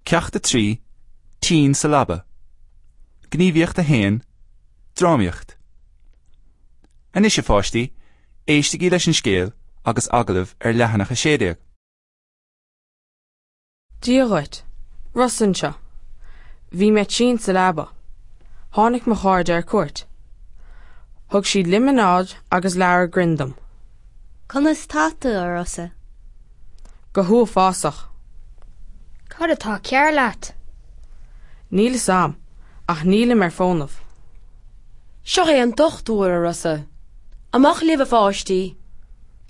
Ceacht 3, Tinn sa Leaba. Gníomhaíocht 1, Drámaíocht. Anois a pháistí, éistigí leis an scéal agus agallamh ar leathanach 16. Dia dhuit. Rosa anseo. Bhí mé tinn sa leaba. Tháinig mo chairde ar cuairt. Thug siad líomanáid agus leabhar grinn dom. Conas tá tú, a Rosa? Go huafásach. Cad atá cearr leat? Níl a fhios a'm, ach nílim ar fónamh. Seo é an dochtúir, a Rosa. Amach libh, a pháistí!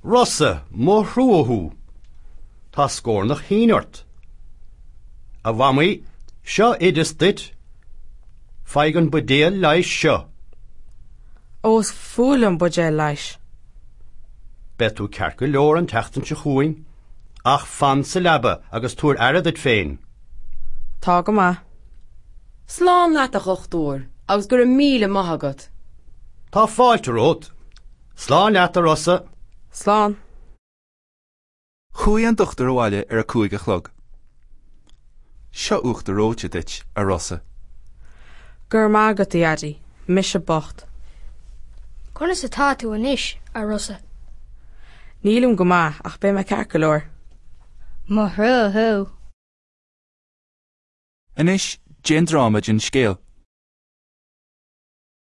Rosa, mo thrua thú! Tá scornach thinn ort. A Mhamaí, seo oideas duit. Faigh an buidéal leighis seo. Ó, is fuath liom buidéil leighis. Beidh tú ceart go leor an tseachtain seo chugainn, ach fan sa leaba agus tabhair aire duit féin. Tá go maith. Slán leat, a dhochtúir, agus go raibh míle maith agat. Tá fáilte romhat. Slán leat, a Rosa. Slán. Chuaigh an dochtúir abhaile ar a 5 a chlog. Seo uachtar reoite duit, a Rosa. Go raibh maith agat, a Dhaidí. Mise bocht. Conas atá tú anois, a Rosa? Nílim go maith, ach beidh mé ceart go leor. Mo thrua thú. Anois, déan dráma den scéal.